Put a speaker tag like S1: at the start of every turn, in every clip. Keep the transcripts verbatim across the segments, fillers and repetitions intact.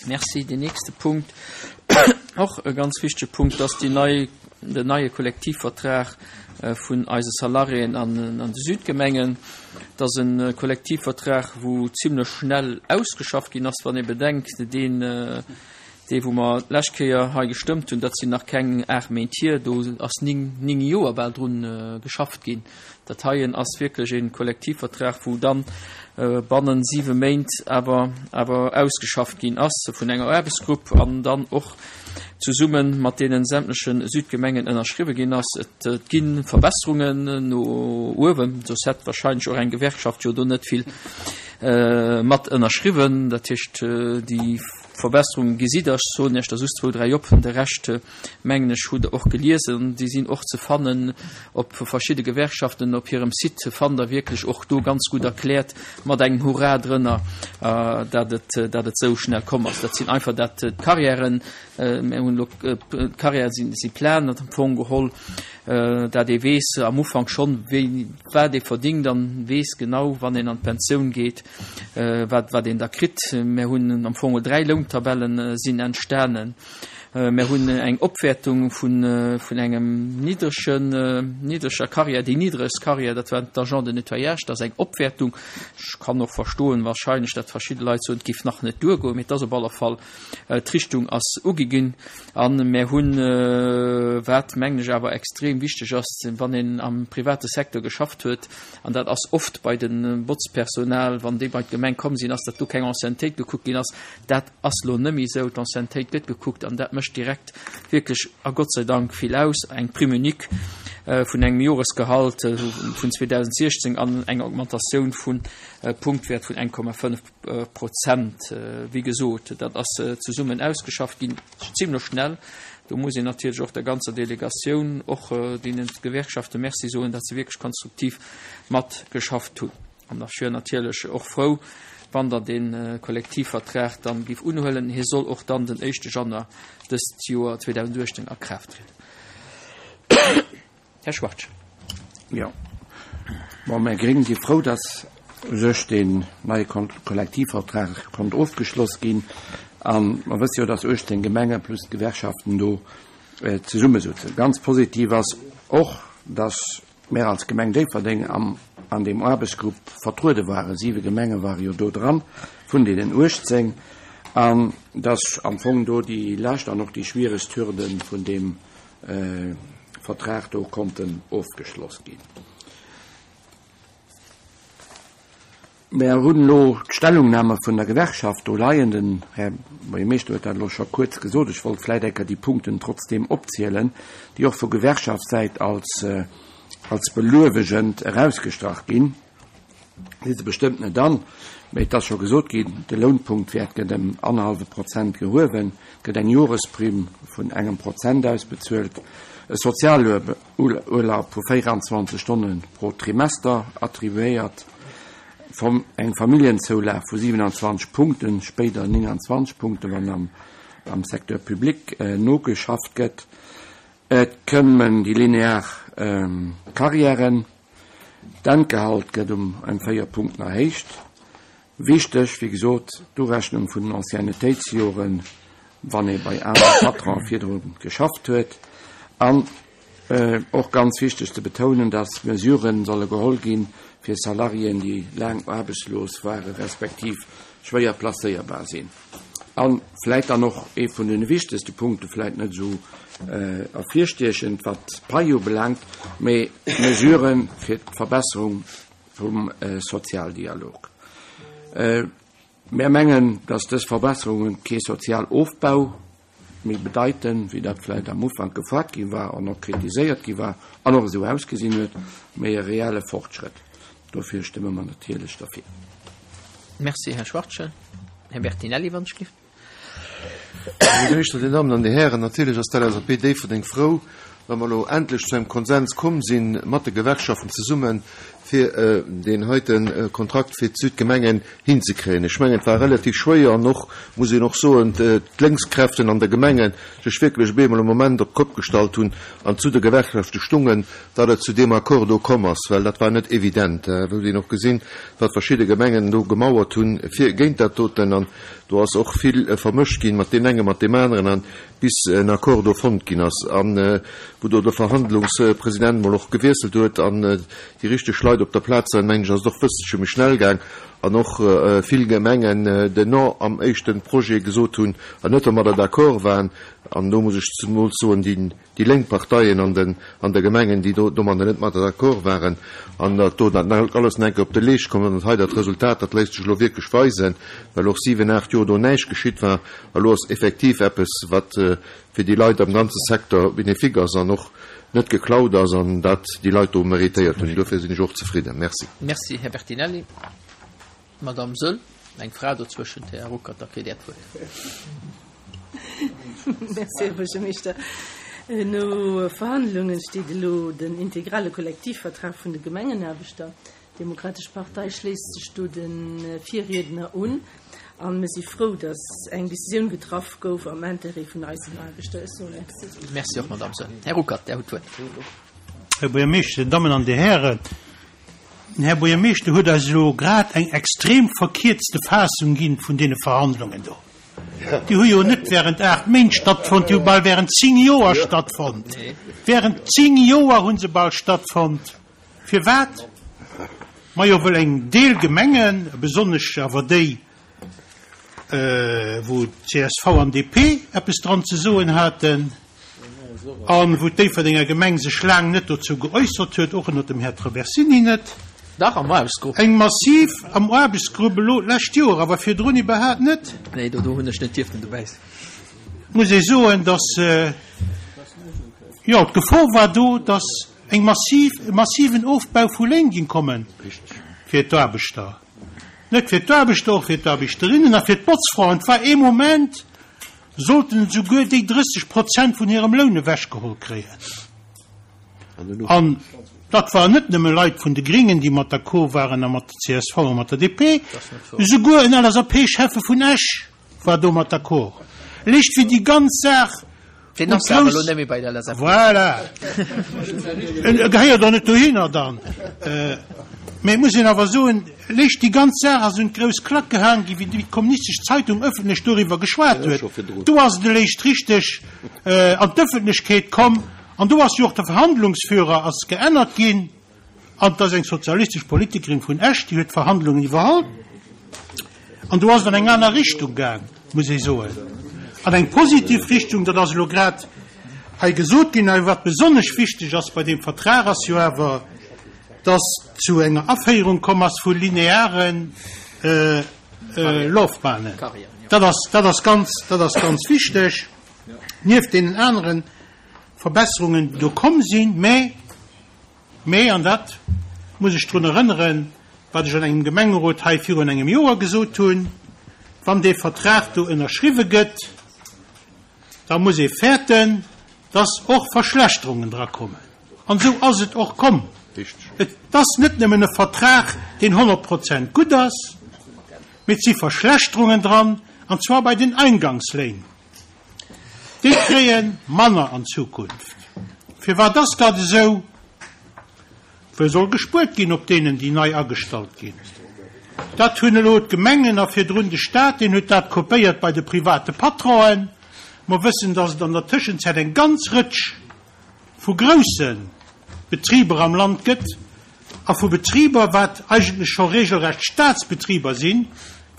S1: Merci. Deen nächste Punkt, och e ganz wichtege Punkt, ass déi nei, den neie Kollektivvertrag vun eise Salariéen an, an de Südgemengen. Dat ass e Kollektivvertrag, wou zimlech schnell ausgeschafft ginn ass, wann ee bedenkt, deen, dee wou mer d'lescht Kéier hei gestëmmt hunn, dat sinn nach keng aacht Méint hier, do ass ning, ning Joer bal drun geschafft ginn. Dat heien ass wierklech e Kollektivvertrag, wou dann bannen siwe Méint awer, awer ausgeschafft ginn ass vun enger Aarbechtsgrupp an dann och zesumme mat deene sämtleche Südgemengen ënnerschriwwe ginn ass. Et gi Verbesserungen no uewen, soss hätt wahrscheinlech och eng Gewerkschaft jo do net vill mat ënnerschriwwen. Dat heescht, déi Verbesserungen gesitt Der, ech soen Iech der just zwou, dräi op, de Rescht, mengen ech, hutt Der och geliesen. Déi sinn och ze fannen op verschidde Gewerkschaften op hirem Site, fannt Der wierklech och do ganz gutt erkläert mat engem Hurra drënner, dat et, dat et esou schnell komm ass. Dat sinn einfach dat, d'Carrièren, mir hunn elo, d'Carrièrë sinn, si plan am Fong geholl, dat ee weess am Ufank schonn, wéi, wat ee verdingt an weess genau, wann een an d'Pensioun geet, wat, wat een da kritt. Mir hunn am Fong dräi Lountabellen sinn entstanen. Mir hunn eng Opwäertung vun, vun engem niddregen, niddreger Carrière, déi niddregst Carrière, dat war d'Agent de nettoyage, dat ass eng Opwäertung. Ech kann och verstoen wahrscheinlech, datt verschidde Leit soen, et géif nach net duergoen, mee et ass op alle Fall, d'Richtung ass ugi ginn. A mir hunn, wat mengen ech awer extrem wichteg ass, wann een am private Secteur geschafft huet, an dat ass oft bei de Botzpersonal, wann déi bei d'Gemeng komm sinn, ass, datt do keng Anciennetéit gekuckt ginn ass. Dat ass elo net méi esou. D'Anciennetéit gëtt gekuckt an dat mécht direkt wierklech, a Gott sei Dank, vill aus. Eng Prime unique vun engem Joresgehalt vun zweedausentsiechzéng an eng Augmentatioun vun Punktwäert vun eng Komma fënnef Prozent. Wéi gesot, dat ass zesummen ausgeschafft ginn, zimlech schnell. Do muss een natierlech och der ganzer Delegatioun, och deenen Gewerkschaften Merci soen, datt se wierklech konstruktiv matgeschafft hunn. An ech wier natierlech och frou, wann Der dee Kollektivvertrag dann géif unhuelen. Hie soll och dann den éischte Januar dëst Joer zweedausenduechtzéng a Kraaft trieden. Här Schwartz.
S2: Jo. Bon, mär Gréng si frou, dass u sech deen neie Kollektivvertrag konnt ofgeschloss ginn. A mer wësse jo, dass uechtzéng Gemenge plus d'Gewerkschaften do zesummesëtzen. Ganz positiv ass och, dass mär als Gemeng Déifferdeng am an deem Aarbechtsgrupp vertruede waren. Siwe Gemenge ware jo do dran, vun deenen uechtzéng. An dass am Fong do déi lescht an och déi schwieregst Hürde vun deem Vertrag do konnten ofgeschloss ginn. Mär hunn elo d'Stellungnahme vun der Gewerkschaft do leien. Den Här Buergermeeschter huet dat elo scho kuerz gesot. Ech wollt vläicht eng Kéier déi Punkten trotzdeem opzielen, déi och vu Gewerkschaftssäit als, als beluewegend erausgestrach ginn. Si se bestëmmt net an, mä et ass scho gesot ginn, de Lounpunktwäert gëtt ëm annerhallwe Prozent gehuewen, et gëtt eng Joresprimm vun engem Prozent ausbezuelt, e Sozialurlaub vu véieranzwanzeg Stonne pro Trimester attribuéiert, eng Familljenzoulage vu siewenundzwanzeg Punkten, spéider nénganzwanzeg Punkten, wann am, am Secteur public nogeschafft gëtt. Et këmmen déi linear Carrièren, d'Endgehalt gëtt um ëm véier Punkten erhéicht. Wichteg, wéi gesot, d'Urechnung vun den Anciennetéitsjoren, wann ee bei anere Patronen virdru geschafft huet. An och ganz wichteg ze betounen, dass Mesuren solle geholl ginn fir Salariéen, déi laang aarbechtslos ware respektiv schwéier placéierbar sinn. A vläit dann och ee vun de wichtegste Punkte, vläit net esou ervirstiechend, wat d'Pai ubelaangt, mee Mesuren fir d'Verbesserung vum Sozialdialog. Mär mengen, dass dës Verbesserungen kee Sozialofbau méi bedeiten, wéi dat vläit am Ufank gefoart gi war an och kritiséiert gi war an och esou ausgesinn huet, mee e reelle Fortschrëtt. Dofir stëmme mer natierlech derfir.
S1: Merci, Här Schwachtgen. Här Bertinelli, wann ech giff.
S3: Här Buergermeeschter, Dir Dammen an Dir Hären, natierlech ass d'L S A P Déifferdeng frou, wa mer elo endlech zu engem Konsens komm si mat de Gewerkschaften zesummen, fir deen heite Kontrakt fir d'Südgemengen hinzekréien. Ech mengen, et war relativ schwéier an och, muss een och soen, d'Lénkskräften an de Gemengen sech wierklech op eemol e Moment op d'Kopp gestallt hunn an zu de Gewerkschafte stungen, datt et zu deem Accord do komm ass, well dat war net evident. Et huet een och gesinn, wat verschidde Gemengen do gemauert hunn fir géint dat doten an do ass och vill vermëscht ginn mat deem engen, mat deem aneren an bis en Accord do fonnt ginn ass an wou do de Verhandlungspresident mol och gewiesselt huet an déi richteg Leit op der Plaz waren, mengen ech, ass et och bësselche méi schnell gaang an och vill Gemengen den Non am éischte Projet gesot hunn an net domadder d'accord waren. An do muss ech zemools soen, déi déi lénk Parteien an den an de Gemengen, déi do domadder net mat d'accord waren an datt do dat alles nach eng Kéier op de Leescht komm ass. An hei dat Resultat, dat léisst sech elo wierklech weisen, well och siwen, aacht Joer do näischt geschitt war. A lo ass effektiv eppes, wat fir déi Leit am ganze Secteur bénéfique ass an och net geklaut ass an dat déi Leit do méritéiert hunn. Dofir sinn ech och zefridden. Merci.
S1: Merci, Här Bertinelli. Madame Soll, eng Fra dozwëschent, Här Ruckert, da kritt Där d'Wuert.
S4: Merci, Här Buergermeeschter. No Verhandlunge steet elo den integrale Kollektivvertrag vun de Gemengenaarbechter. D'Demokratesch Partei schléisst sech do de Virriedner un a mir si frou, datt eng Decisioun getraff gouf am Intérêt vun eisen Aarbechter. Ech soe Merci.
S1: Merci och, Madame Soll. Här Ruckert, Där hutt d'Wuert.
S5: Här Buergermeeschter, Dir Dammen an Dir Hären, den Här Buergermeeschter huet eis elo grad eng extrem verkierzte Fassung gi vun deene Verhandlungen do. Déi hu jo net während aacht Méint stattfonnt, déi hu bal während zéng Joer stattfonnt. Während zéng Joer hu se bal stattfonnt. Firwat? Majo, wëll eng Deel Gemengen, besonnesch awer déi, wou csv an D P eppes dran ze soen haten a wou d'Déifferdenger Gemeng sech laang net dozou geäussert huet, och ënnert dem Här Traversini net.
S1: Dach, am Aarbechtsgrupp.
S5: Eng massiv am Aarbechtsgrupp elo d'lescht Joer, awer virdrun iwwerhaapt net.
S1: Nee, do hunn ech net dierften dobäi sinn.
S5: Muss ee soen, dass, jo, d'Gefor war do, dass eng massiv, e massiven Ofbau vu Léin géing komme fir d'Aarbechter. Net fir d'Aarbechter, och fir d'Aarbechterinnen a fir d'Botzfraen. Et war ee Moment, sollten esouguer déi drësseg Prozent vun hirem Loun ewechgeholl kréien. An dat waren net nëmme Leit vun de Gringen, déi mat d'accord waren a mat der C S V a mat der D P, esouguer en L S A P-Schäffe vun Esch war domat d'accord. Léicht wéi déi ganz Saach
S1: Deen ass awer elo net méi bei der L S A P.
S5: Voilà. En gehéiert och net dohinner dann. Mä et muss een awer soen, léicht déi ganz Saach ass un d'grouss Klack gehaang gi wéi d'Kommunistesch Zeitung ëffentlech doriwwer geschwat huet. Do ass et eréischt richteg an d'Ëffentlechkeet komm. An do ass jo och de Verhandlungsführer ass geännert ginn, an et ass eng sozialistesch Politikerin vun Esch, déi huet d'Verhandlungen iwwerholl. An do ass et an eng aner Richtung gaang, muss ee soen, an eng positiv Richtung. Dat ass elo grad hei gesot ginn. A wat besonnesch wichteg ass bei deem Vertrag, ass jo awer, dass zu enger Aféierung komm ass vu linearen Laufbahnen. Dat ass, dat ass ganz, dat ass ganz wichteg, nieft deenen aneren Verbesserungen, déi do komm sinn, mä, mä, an dat muss ech drun erënneren, wat ech an engem Gemengerot hei virun engem Joer gesot hunn, wann dee Vertrag do ënnerschriwwe gëtt, da muss ee fäerten, dass och Verschlechterungen drakommen. An esou ass et och komm. Et ass net nëmmen e Vertrag, deen honnert Prozent gutt ass, mee et si Verschlechterungen dran, an zwar bei den Eingangsléin. Déi kréie manner an Zukunft. Firwat ass dat esou? Well soll gespuert ginn op deenen, déi nei agestallt ginn. Dat hunn elo d'Gemengen a virdrun de Staat, deen huet dat kopéiert bei de private Patronen. Mer wëssen, datt et an der Tëschenzäit eng ganz Rëtsch vu grousse Betriber am Land gëtt a vu Betriber, wat eigentlech scho regelrecht Staatsbetriber sinn,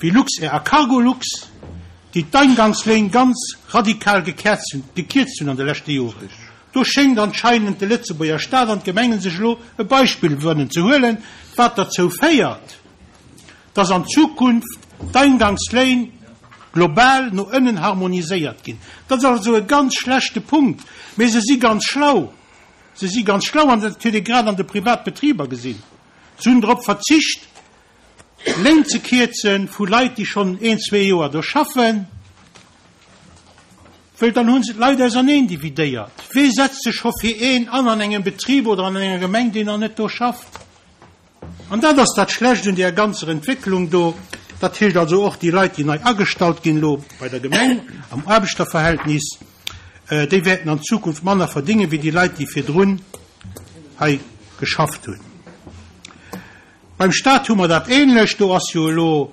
S5: wéi Luxair a Cargolux, déi d'Eingangsléin ganz radikal gekierzt hunn an de leschte Joren. Do schéngt anscheinend de Lëtzebuerger Staat an d'Gemengen sech elo e Beispill wëllen ze huelen, wat derzou féiert, dass an Zukunft d'Eingangsléin global no ënnen harmoniséiert ginn. Dat ass also e ganz schlechte Punkt, mee se si ganz schlau. Se si ganz schlau, an dat huet ee grad an de Privatbetriber gesinn. Se hunn drop verzicht, Léin ze kierze vu Leit, déi schonn een, zwee Joer do schaffen, wëll dann hu se d'Leit auserneen dividéiert. Wee setzt sech scho fir een an an engem Betrib oder an enger Gemeng, deen nach net do schafft? An dat ass dat Schlecht un där ganzer Entwécklung do. Dat heescht also och déi Leit, déi nei agestallt ginn elo bei der Gemeng am Aarbechterverhältnis, déi wäerten an Zukunft manner verdéngen, wéi déi Leit, déi virdrun hei geschafft hunn. Beim Stat hu mer dat Ähnlecht. Do ass jo elo,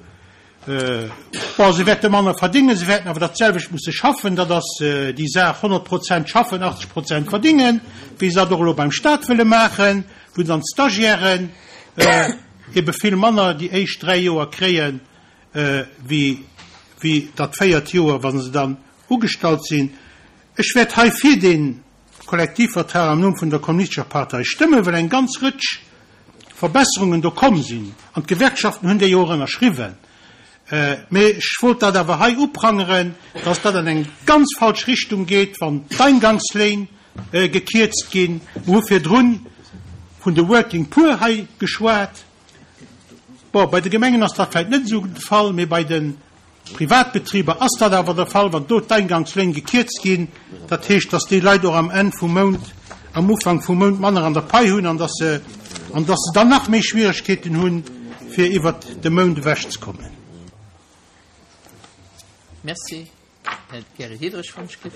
S5: bon, se wäerte manner verdéngen, se wäerten awer dat selwecht musse schaffen. Dat ass déi Saach, honnert Prozent schaffen, achtzeg Prozent verdéngen, wéi se dat och elo beim Stat wëlle maachen, wou dann d'Stagiairen ebe vill manner déi éischt dräi Joer kréien, wéi wéi dat véiert Joer, wa se dann ugestallt sinn. Ech wäert hei fir dee Kollektivvertrag am Numm vun der Kommunistescher Partei stëmmen, well eng ganz Rëtsch Verbesserungen do komm sinn, an d'Gewerkschaften hunn déi jo och ënnerschriwwen. Mee ech wollt dat awer hei uprangeren, dass dat an eng ganz falsch Richtung geet, wann d'Eingangsléin gekierzt ginn. Mer hu virdrun vun de Working Poor hei geschwat. Bon, bei de Gemengen ass dat vläicht net esou de Fall, mee bei de Privatbetriber ass dat awer de Fall, wann do d'Eingangsléin gekierzt ginn. Dat heescht, dass déi Leit och am Enn vum Mount, am Ufank vum Mount manner an der Pai hunn an dass se, an dass se dann nach méi Schwieregkeeten hunn, fir iwwert de Mount ewechzekommen.
S1: Merci. Här Gary Diderich vum Schliff.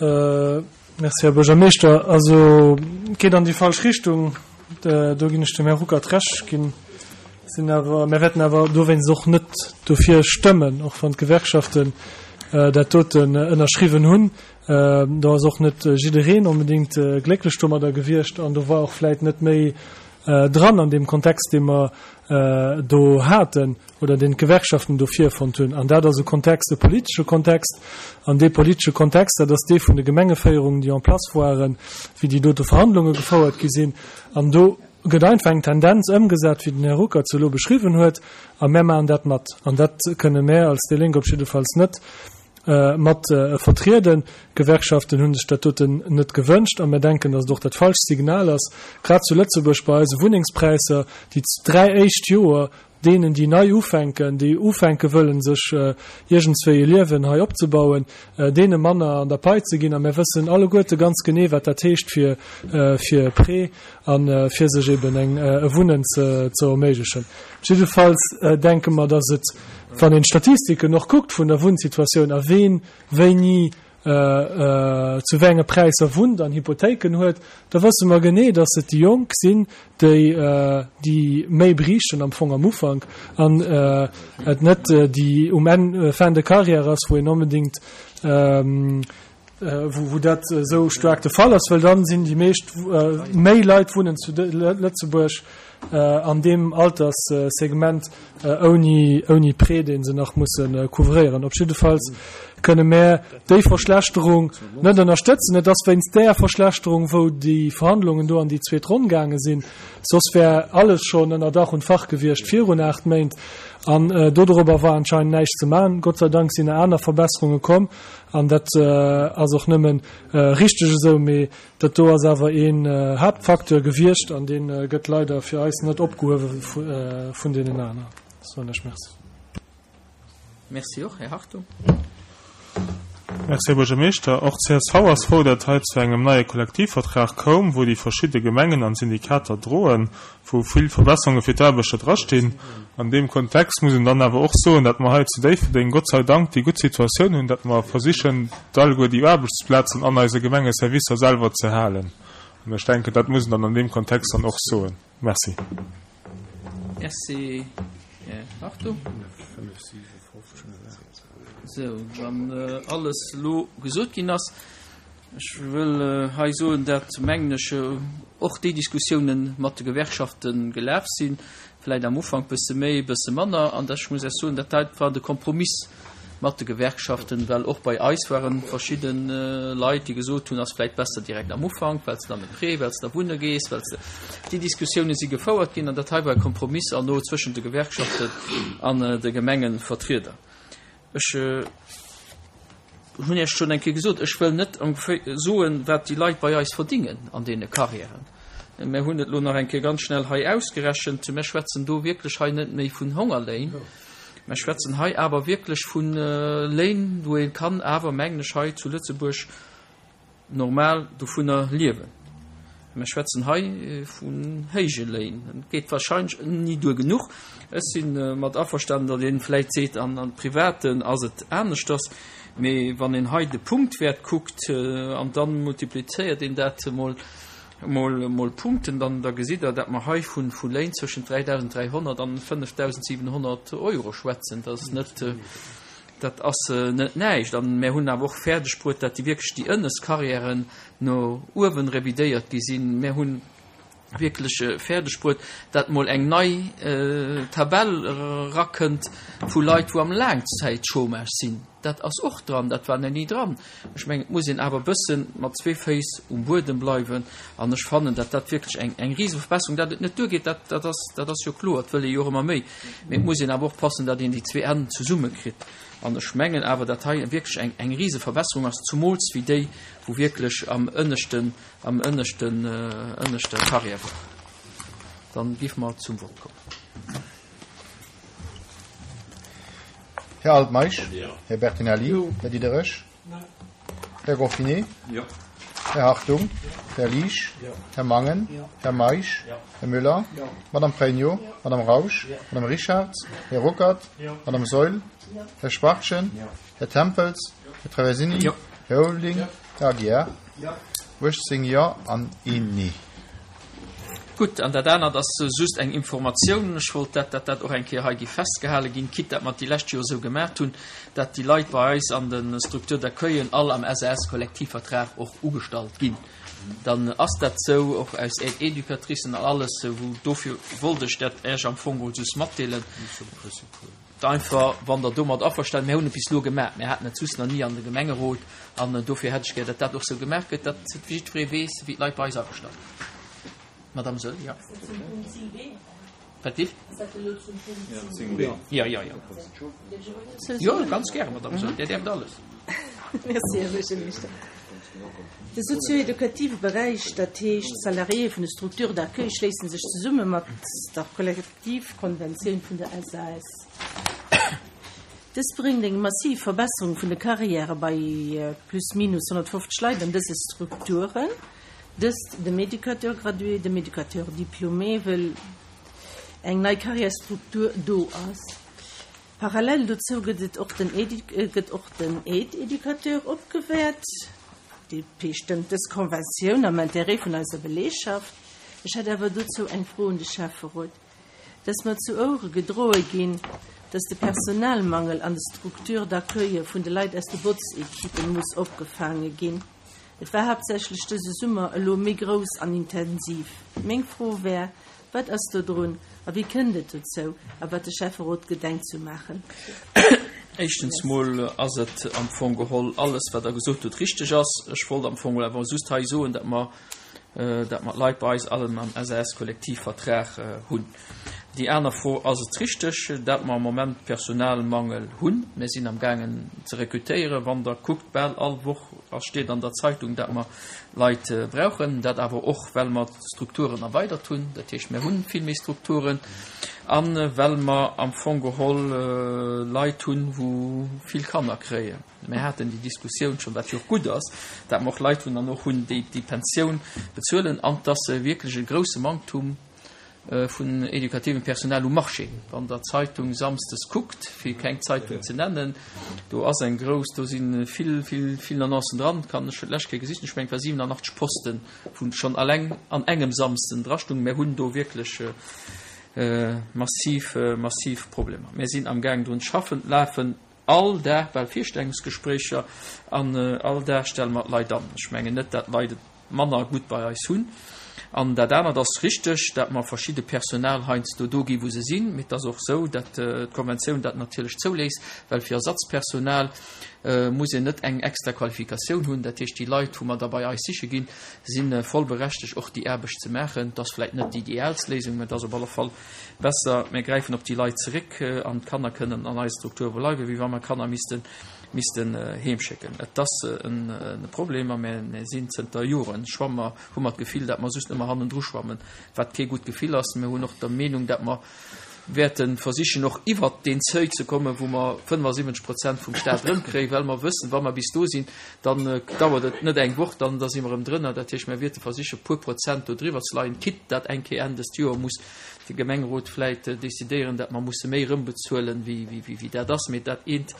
S6: Merci, Här Buergermeeschter. Also, et geet an déi falsch Richtung, do ginn ech dem Här Ruckert Recht ginn. Sinn awer, mir wäerten awer dowéinst och net dofir stëmmen, och wann d'Gewerkschaften dat doten ënnerschriwwen hunn. Do ass och net jiddereen onbedéngt glécklech domadder gewiescht an do war och vläit net méi dran an deem Kontext, dee mer do haten oder deen d'Gewerkschaften do virfonnt hunn. An dat ass e Kontext, e politesche Kontext. An dee politesche Kontext, dat ass dee vun de Gemengeféierungen, déi en place waren, wéi déi dote Verhandlunge gefouert gi sinn. An do gëtt einfach eng Tendenz ëmgesat, wéi den Här Ruckert se elo beschriwwen huet, a mär maachen dat mat. An dat kënne mär als déi Lénk op jiddefalls net mat vertrieden. D'Gewerkschaften hu sech dat doten net gewënscht a mär denken, datt et och dat falscht Signal ass, grad zu Lëtzebuerg bei eise Wunnengspräisser, déi dräi éischt Joer deenen, déi nei ufänken, déi ufänke wëllen, sech iergendswéi e Liewen hei opzebauen, deene manner an der Pai ze ginn. A mär wëssen alleguerte ganz genee, wat dat heescht fir fir e Prêt a fir sech eben eng e Wunnen ze ze erméiglechen. Jiddefalls denke mer, datt et, wann een d'Statistiken och kuckt vun der Wunnsituatioun a ween wéini zu wéi enge Präisser wunnt an Hypothéiken huet, da wësse mer genee, datt et déi Jonk sinn, déi déi méi briichten am Fong am Ufank an et net déi um Enn, fin de carrière ass, wou een onbedéngt, wou dat esou staark de Fall ass, well dann sinn déi meescht, méi Leit wunnen zu Lëtzebuerg an deem Alterssegment ouni, ouni Prêt, dee se nach musse couvréieren. Op jiddefalls kënne mär déi Verschlechterung net ënnerstëtzen. Et ass wéinst där Verschlechterung, wou déi Verhandlungen do an déi zweet Ronn gaange sinn. Soss wär alles schonn ënner Dach und Fach gewiescht virun aacht Méint. An dodorobber war anscheinend näischt ze maachen. Gott sei Dank sinn aner Verbesserunge komm. An dat ass och nëmme richteg esou. Mee dat do ass awer een Haaptfacteur gewiescht an dee gëtt leider fir eis net opgehuewe vun deenen aneren. Soen ech Merci.
S1: Merci och, Här Hartung.
S7: Merci, Här Buergermeeschter. Och csv ass frou, datt hei zu engem neie Kollektivvertrag koum, wou déi verschidde Gemengen an Syndikater droen, wou vill Verbesserunge fir d'Aarbechter drastinn. An deem Kontext muss een dann awer och soen, datt mer hei zu Déifferdeng Gott sei Dank déi gutt Situatioun hunn, datt mer versichen, alleguer déi Aarbechtsplazen an eise Gemengeservicer selwer ze halen. An ech denken, dat muss een dann an deem Kontext dann och soen. Merci.
S1: Merci, Här Hartung. Sou, wann alles elo gesot ginn ass, ech wëll hei soen, dat, mengen ech, och déi Diskussiounen mat de Gewerkschafte gelaf sinn, vläicht am Ufank bësse méi, bësse manner, an ech muss Iech soen, dat hei war de Kompromiss mat de Gewerkschaften, well och bei eis ware verschidde Leit, déi gesot hunn, ass vläicht besser direkt am Ufank, well s de dann e Prêt, well s de da wunne gees, well s de. Déi Diskussiounen si gefouert ginn an dat hei war e Kompromiss an no zwëschent de Gewerkschaften an de Gemengevertrieder. Ech hunn Iech schonn eng Kéier gesot, ech wëll net soen, wat déi Leit bei eis verdingen an deene Carrièren. Mir hunn et elo nach eng Kéier ganz schnell hei ausgerechent. Mir schwätzen do wierklech hei net méi vun Hongerléin. Mir schwätzen hei awer wierklech vu Léin, wou ee kann awer, mengen ech, hei zu Lëtzebuerg normal dovunner liewen. Mir schwätzen hei vun héije Léin. Et geet wahrscheinlech ni duer genuch. Ech si mat averstanen, datt ee vläicht seet, an am Privaten ass et aneschters. Mee wann een hei de Punktwäert kuckt an da multiplizéiert een dat mol, mol, mol Punkten, dann da gesitt Der, datt mer hei vu vu Léin zwëschent dräidausend dräihonnert an fënnefdausend siwenhonnert Euro schwätzen. Dat ass net, dat ass net näischt. An mir hunn awer och fäerdeg bruet, datt déi wierklech déi ënnescht Karriären no uewen revidéiert gi sinn. Mir hunn wierklech fäerdeg bruet, datt mol eng nei Tabell erakënnt vu Leit, wou am Laangzäitchômage sinn. Dat ass och dran, dat war nach ni dran. Ech mengen, et muss een awer e bësse mat zwee Féiss um Buedem bleiwen. An ech fannen, datt dat wierklech eng, eng Riseverbesserung, datt et net duergeet, dat, dat ass, dat ass jo kloer, et wëll ee jo och ëmmer méi. Mee et muss een awer och passen, datt een déi zwee Enn zesummekritt. An ech mengen awer, datt hei wierklech eng, eng Riseverbesserung ass, zumools wéi déi, wou wierklech am ënneschten, am ënneschten, ënneschter Karriär war. Dann géife mer zum Vott kommen.
S8: Här Altmeisch? Här Bertinelli? Här Diderich? Här Goffinet? Här Hartung? Här Liesch? Här Mangen? Här Meisch? Här Müller? Madame Pregno? Madame Rausch? Madame Richarz? Här Ruckert? Madame Saeul? Här Schwachtgen? Här Tempels? Här Traversini? Här Ulveling? Här Aguiar? uechtzéng Jo an een Nee.
S1: Gutt, an dat anert ass just eng Informatioun. Ech wollt dat, dat dat och eng Kéier hei géif festgehale ginn, quitte dat mer et déi lescht Joer esou gemaach hunn, dat déi Leit bei eis an de Structures d'accueillen all am S A S-Kollektivvertrag och ugestallt ginn. Dann ass dat esou, och aus Aide-éducatricen an alles, wou dofir wollt ech dat Iech am Fong geholl just matdeelen. Einfach, wann Der domat averstanen, mir hunn et bis elo gemaach, mir haten et soss nach ni an de Gemengerot, an dofir hätt ech gär, datt dat och esou gemaach gëtt, datt jiddweree weess, wéi d'Leit bei eis agestallt ginn. Madame Saeul, jo. Wat wier? Jo, jo, jo. Jo, ganz gäre, Madame Saeul, Dir däerft alles.
S4: Merci, Här Buergermeeschter. De sozio-edukative Beräich, dat heescht d'Salariéë vun de Structures d'accueil, schléisse sech zesumme mat der Kollektivkonventioun vun der S A S. Dës bréngt eng massiv Verbesserung vun de Karriäre bei plus minus honnertfofzeg Leit an dëse Strukturen. Dëst dem Éducateur gradué, dem Éducateur diplômé, wëll eng nei Karriärstruktur do ass. Parallel dozou gëtt et och den gëtt och den Aide-éducateur opgewäert. D P stëmmt dës Konventioun am Interêt vun eiser Belegschaft. Ech hätt awer dozou eng Fro un de Schäfferot. Dass mer zu Ouere gedroe ginn, dass de Personalmangel an de Structures d'accueil vun de Leit aus de Botzekippen muss opgefaange ginn. Et war haaptsächlech dëse Summer elo méi grouss an intensiv. Meng Fro wär, wat ass do drun a wéi kënnt et dozou a wat de Schäfferot gedenkt ze maachen?
S1: Éischtens mol ass et am Fong geholl alles, wat Der gesot hutt, richteg ass. Ech wollt am Fong awer just hei soen, datt mer datt mer d'Leit bei eis allen am S A S-Kollektivvertrag hunn. Déi aner Fro, ass et richteg, datt mer am Moment Personalmangel hunn. Mir sinn am gaangen ze rekrutéieren. Wann Der kuckt, bal all Woch ass steet an der Zeitung, datt mer Leit brauchen. Dat awer och, well mer d'Strukturen erweidert hunn. Dat heescht, mir hunn vill méi Strukturen. An well mer am Fong geholl Leit hunn, wou vill Kanner kréien. Mir haten déi Diskussioun schonn, wat jo och gutt ass, datt mer och Leit hunn an och hunn, déi déi Pensioun bezuelen, an dass se wierklech e grousse Manktum vun edukativem Personal um Marché. Wann Der d'Zeitung samsdes kuckt, fir keng Zeitung ze nennen, do ass eng grouss, do si vill, vill, vill Annoncen dran, kann ech lech kéi gesicht, ech mengen, et war siwenanachtzeg Posten, wou schonn alleng an engem Samsden drastungen. Mir hunn do wierklech massiv, massiv Problemer. Mir sinn am Gaang drun ze schaffen, lafen all Dag bal Virstellungsgespréicher an all Dag stelle mer Leit an. Ech mengen net, datt d'Leit et manner gutt bei eis hunn. An dat anert ass richteg, datt mer verschidde Personal heiansdo do gi wou se sinn, mee et ass och esou, datt d'Konventioun dat natierlech zouléisst, well fir Ersatzpersonal muss een net eng extra Qualifikatioun hunn. Dat heescht, déi Leit, wou mer da bei eis siche ginn, si voll berechtegt och déi Aarbecht ze maachen. Dat ass vläicht net déi ideaalst Léisung, mä et ass op alle Fall besser, mir gräifen op déi Leit zeréck an d'Kanner kënnen an eise Strukture bleiwen, wéi wa mer Kanner missten missten heem schécken. Et ass e Problem a mir sinn zënter Joren schwamme mer, hu mer d'Gefill, datt mer just ëmmer hannendru schwammen, wat kee gutt Gefill ass. Mir hunn och der Meenung, datt mer wäerte versichen och iwwert deen Seuil ze kommen, wou mer fënnefasiwwenzeg Prozent vum Stat erëmkréien, well mer wëssen, wa mer bis do sinn, dann dauert et net eng Woch, dann da si mer erëm drënner. Dat heescht, mer wäerte versichen, e puer Prozent do driwwer ze leien, quitte dat eng Kéier Enn dëst Joer muss de Gemengerot vläicht decidéieren, dat mer musse méi erëmbezuelen, wéi, wéi, wéi dat ass. Mee dat eent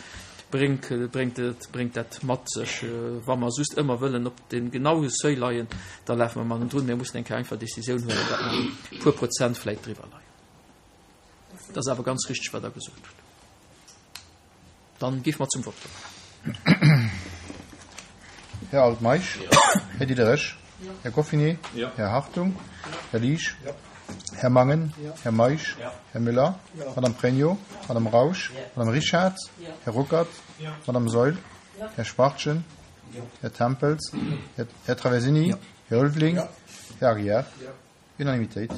S1: bréngt, bréngt et, bréngt dat mat sech. Wa mer just ëmmer wëllen op deem genaue Seuil leien, da lafe mer mattendrun. Mir mussen eng Kéier einfach Décisioun huelen, dat mer e puer Prozent vläicht driwwer leien. Dat ass awer ganz richteg, wat Der gesot hutt. Dann géife mer zum Vott kommen.
S8: Här Altmeisch. Här Diderich. Här Goffinet. Här Hartung. Här Liesch. Här Mangen. Här Meisch. Här Müller. Madame Pregno. Madame Rausch. Madame Richard. Här Ruckert. Madame Saeul. Här Schwachtgen. Här Tempels. Här Traversini. Här Ulveling. Här Aguiar. Unanimitéit.